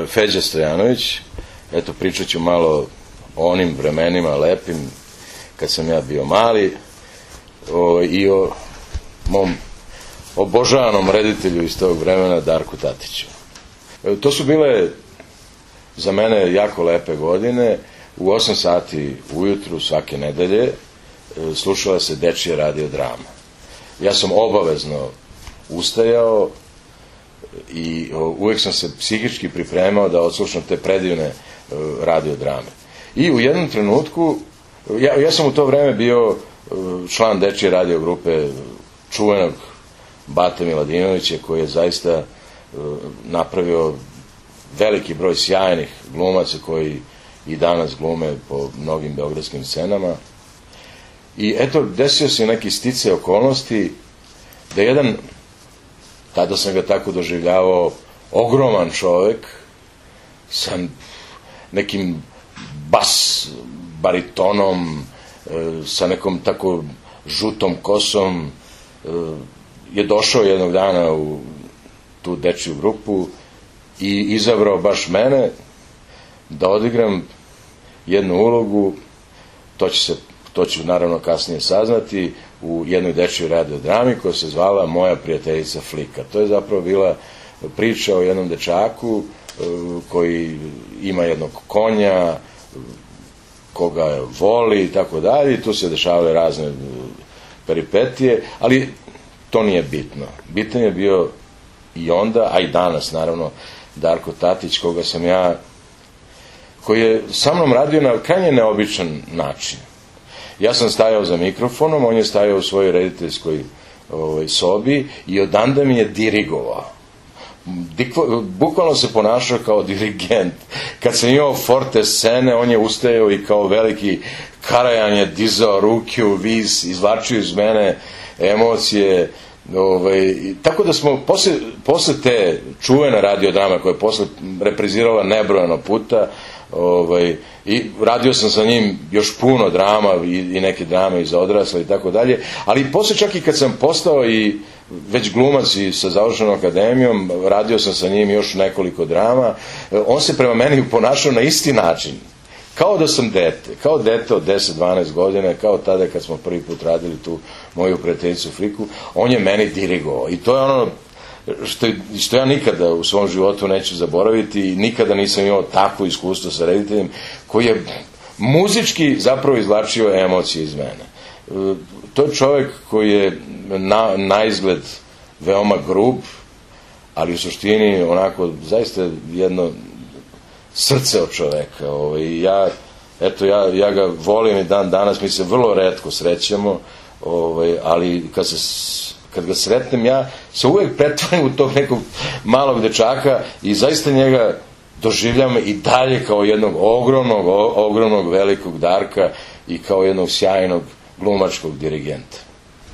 Feđa Stojanović. Eto, pričat ću malo o onim vremenima lepim kad sam ja bio mali i o mom obožavanom reditelju iz tog vremena, Darku Tatiću. To su bile za mene jako lepe godine. U 8 sati ujutru svake nedelje slušala se dečija radio drama. Ja sam obavezno ustajao i uvek sam se psihički pripremao da odslušam te predivne radio drame. I u jednom trenutku, ja sam u to vreme bio član dečije radio grupe čuvenog Bate Miladinovića, koji je zaista napravio veliki broj sjajnih glumaca koji i danas glume po mnogim beogradskim scenama. I eto, desio se neki sticaj okolnosti da jedan, tada sam ga tako doživljavao, ogroman čovek sa nekim bas baritonom, sa nekom tako žutom kosom, je došao jednog dana u tu dečiju grupu i izabrao baš mene da odigram jednu ulogu, to ću naravno kasnije saznati, u jednoj dečjoj radiodrami koja se zvala Moja prijateljica Flika. To je zapravo bila priča o jednom dečaku koji ima jednog konja, koga voli i tako dalje, i tu se dešavale razne peripetije, ali to nije bitno. Bitan je bio i onda, a i danas naravno, Darko Tatić, koji je sa mnom radio na krajnje neobičan način. Ja sam stajao za mikrofonom, on je stajao u svojoj rediteljskoj sobi i odanda mi je dirigovao. Bukvalno se ponašao kao dirigent. Kad sam imao forte scene, on je ustajao i kao veliki Karajan je dizao ruke u vis, izvlačio iz mene emocije. Tako da smo posle te čuvene radiodrame koja je posle reprizirala nebrojeno puta, i radio sam sa njim još puno drama i neke drame i za odrasle i tako dalje, ali posle čak i kad sam postao i već glumac i sa završenom akademijom, radio sam sa njim još nekoliko drama, on se prema meni ponašao na isti način, kao da sam dete, kao dete od 10-12 godina, kao tada kad smo prvi put radili tu Moju prijateljicu Fliku, on je meni dirigovao i to je ono što ja nikada u svom životu neću zaboraviti i nikada nisam imao takvo iskustvo sa rediteljem koji je muzički zapravo izvlačio emocije iz mene. To je čovek koji je na izgled veoma grub, ali u suštini onako zaista jedno srce od čoveka. Ja ga volim i dan danas, mi se vrlo retko srećemo, ali kad ga sretnem, ja se uvek pretvarim u tog nekog malog dečaka i zaista njega doživljam i dalje kao jednog ogromnog velikog Darka i kao jednog sjajnog glumačkog dirigenta.